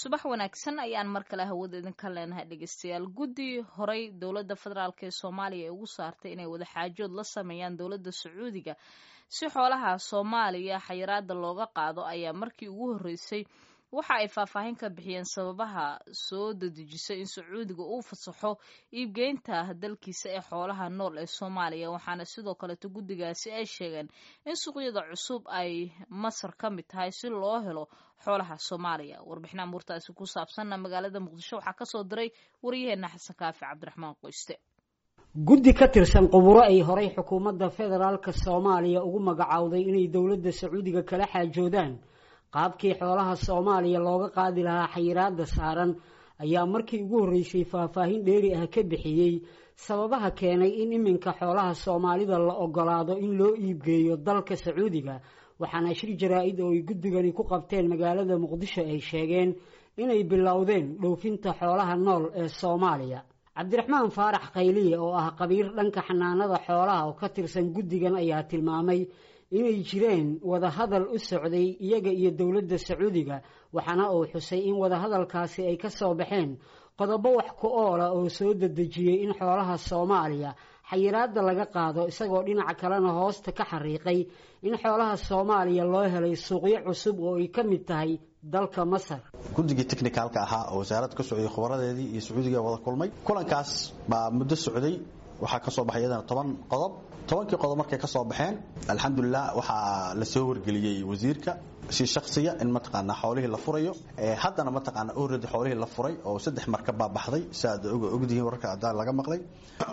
Subax wanaagsan ayaan mar kale hawada idinka leenahay, dhegeystayaal. Guddi horay dowladda federaalk ee Soomaaliya ay ugu saartay inay wadaxaajood la sameeyaan dowladda Sacuudiga si xoolaha Soomaaliya xayiraada looga qaado ayaa markii ugu horreysay waxa ay faahfaahin ka bixiyeen sababaha soo dedejisay in Sacuudiga uu fasaxo iibgeynta dalkiisa ee xoolaha nool ee Soomaaliya. Waxaana sidoo kaleeto guddigaasi ay sheegeen in suuqyada cusub ay Masar ka mid tahay si loo helo xoolaha Soomaaliya. Warbixinaha muurtaasi ku saabsanna magaalada Muqdisho waxaa kasoo diray waryaheena Xasan Kaafi Cabdiraxmaan Qoyste. Guddi ka tirsan quburo ay horay xukuumadda federaalka Soomaaliya ugu magacowday inay dowladda Sacuudiga kala xaajoodaan qaabkii xoolaha Soomaaliya looga qaadi lahaa xayiraada saaran ayaa markii ugu horreysay faahfaahin dheeri ah ka bixiyey sababaha keenay in iminka xoolaha Soomaalida la ogolaado in loo iibgeeyo dalka Sacuudiga. Waxaana shir jaraa-id oo ay guddigani ku qabteen magaalada Muqdisho ay sheegeen inay bilowdeen dhoofinta xoolaha nool ee Soomaaliya. Cabdiraxmaan Faarax Khayliye oo ah qabiir dhanka xanaanada xoolaha oo ka tirsan guddigan ayaa tilmaamay inay jireen wadahadal u socday iyaga iyo dowladda Sacuudiga, waxaana uu xusay in wadahadalkaasi ay ka soo baxeen qodobo wax ku oola oo soo dedejiyey in xoolaha Soomaaliya xayiraadda laga qaado, isagoo dhinaca kalena hoosta ka xariiqay in xoolaha Soomaaliya loo helay suuqyo cusub oo ay ka mid tahay dalka Masar. Guddigii technicalka ahaa oo wasaaradda ka socday, khubaradeedii iyo Sacuudiga wada kulmay. Kulankaas baa muddo socday. Waxaa ka soo baxay iyadana 10 qodob. 10-kii qodob markay ka soo baxeen, alxamdulilah, waxaa la soo wargeliyey wasiirka si shaksiya in mataqaanaa xoolihii la furayo. Haddana mataqaanaa already xoolihii la furay oo 3 markab baa baxday, si aad ogdihiin wararka haddaan laga maqlay,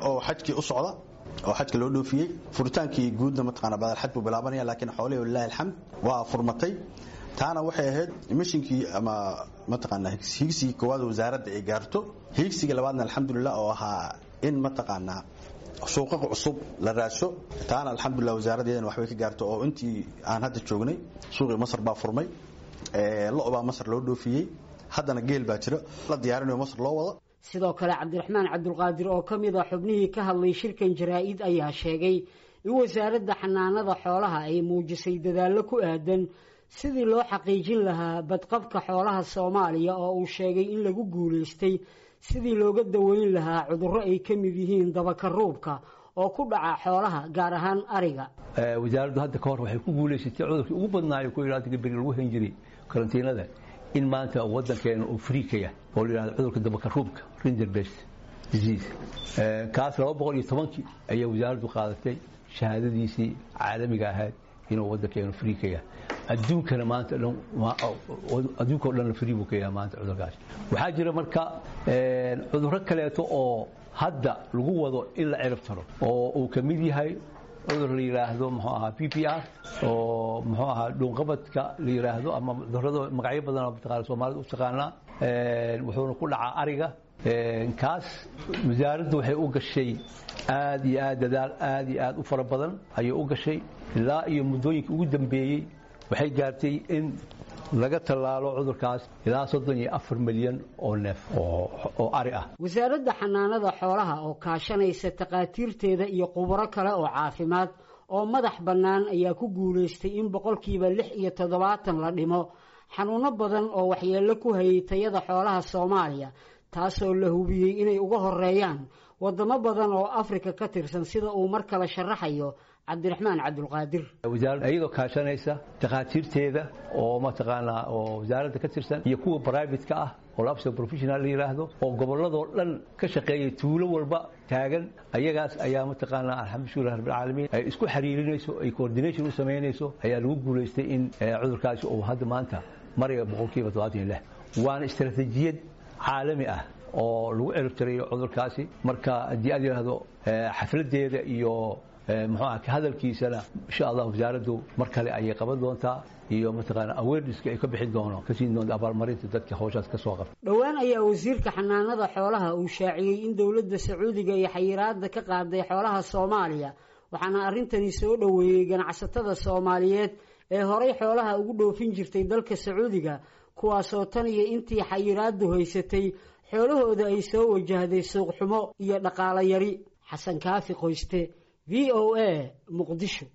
oo xajkii u socda oo xajka loo dhoofiyey. Furitaankii guudna mataqaanaa badal xaj buu bilaabanaya, laakiin xoolihii walillahi alxamd waa furmatay. Taana waxay ahayd mishinkii ama mataqaanaa higsigii koowaad wasaaradda ay gaarto. Higsiga labaadna, alxamdulilah, oo ahaa in mataqaanaa suuqaqa cusub la raaso, taana alxamdulilah wasaaraddeedana waxbay ka gaarto, oo intii aan hadda joognay suuqii Masar baa furmay, lo' baa Masar loo dhoofiyey, haddana geel baa jira la diyaarinayo Masar loo wado. Sidoo kale Cabdiraxmaan Cabdulqaadir oo ka mid a xubnihii ka hadlay shirkan jaraa-id ayaa sheegay in wasaaradda xanaanada xoolaha ay muujisay dadaallo ku aadan sidii loo xaqiijin lahaa badqabka xoolaha Soomaaliya, oo uu sheegay in lagu guulaystay sidii looga daweyn lahaa cudurro ay ka mid yihiin dabakaruubka oo ku dhaca xoolaha, gaar ahaan ariga. Wasaaraddu hadda ka hor waxay ku guulaysatay cudurkii ugu badnaayo ku yidhahda beri lagu hayn jiray karantiinada in maanta waddankeena uu free ka yahay, oo la yidhahdo cudurka dabakaruubka, rinderpest disease. Kaas 210-kii ayaa wasaaraddu qaadatay shahaadadiisii caalamiga ahayd inuu waddankeenu free ka yahay. Adduunkana maanta dhan, adduunka o dhanna free buu ka yahay maanta cudurkaas. Waxaa jira marka cudurro kaleeto oo hadda lagu wado in la cirib taro, oo uu ka mid yahay cudur la yidhaahdo muxuu ahaa PPR, oo muxuu ahaa dhuunqabadka la yidhaahdo, ama cudurrada magacyo badan oo mataqaana Soomaalida u taqaanaa. Wuxuuna ku dhacaa ariga. Kaas wasaaraddu waxay u gashay aad iyo aad dadaal aad iyo aad u fara badan ayay u gashay. Ilaa iyo muddooyinka ugu dambeeyey waxay gaartay in laga tallaalo cudurkaas ilaa 34 milyan oo neef oo ari ah. Wasaaradda xanaanada xoolaha oo kaashanaysa takhaatiirteeda iyo khubaro kale oo caafimaad oo madax bannaan ayaa ku guulaystay in 76% la dhimo xanuuno badan oo waxyeello ku hayay tayada xoolaha Soomaaliya, taasoo la hubiyey inay uga horeeyaan waddamo badan oo Afrika ka tirsan, sida uu mar kale sharaxayo Cabdiraxmaan Cabdulqaadir. Wasaaradda iyadoo kaashanaysa takhaatiirteeda oo mataqaanaa oo wasaaradda ka tirsan iyo kuwa private-ka ah oo labsa professional la yidhaahdo oo gobolladoo dhan ka shaqeeyay, tuulo walba taagan, ayagaas ayaa mataqaanaa alxamdulilah rabbilcaalamiin ay isku xiriirinayso, ay coordination u samaynayso, ayaa lagu guulaystay in cudurkaasi uu hadda maanta maraya 76%. Waana istaraatiijiyad caalami ah oo lagu ciribtirayo cudurkaasi. Marka haddii aad yidhaahdo xafladeeda iyo muxuu aha ka hadalkiisana, insha Allah wasaaraddu mar kale ayay qaban doontaa, iyo mataqaana awareness-ka ay ka bixin doono, ka siin doonto abaalmarinta dadka hawshaas ka soo qabta. Dhowaan ayaa wasiirka xanaanada xoolaha uu shaaciyey in dowladda Sacuudiga iyo xayiraadda ka qaaday xoolaha Soomaaliya, waxaana arrintani soo dhoweeyey ganacsatada Soomaaliyeed ee horay xoolaha ugu dhoofin jirtay dalka Sacuudiga, kuwaasoo tan iyo intii xayiraaddu haysatay xoolahooda ay soo wajahday suuq xumo iyo dhaqaalo yari. Xasan Kaafi Qoyste, VOA, Muqdisho.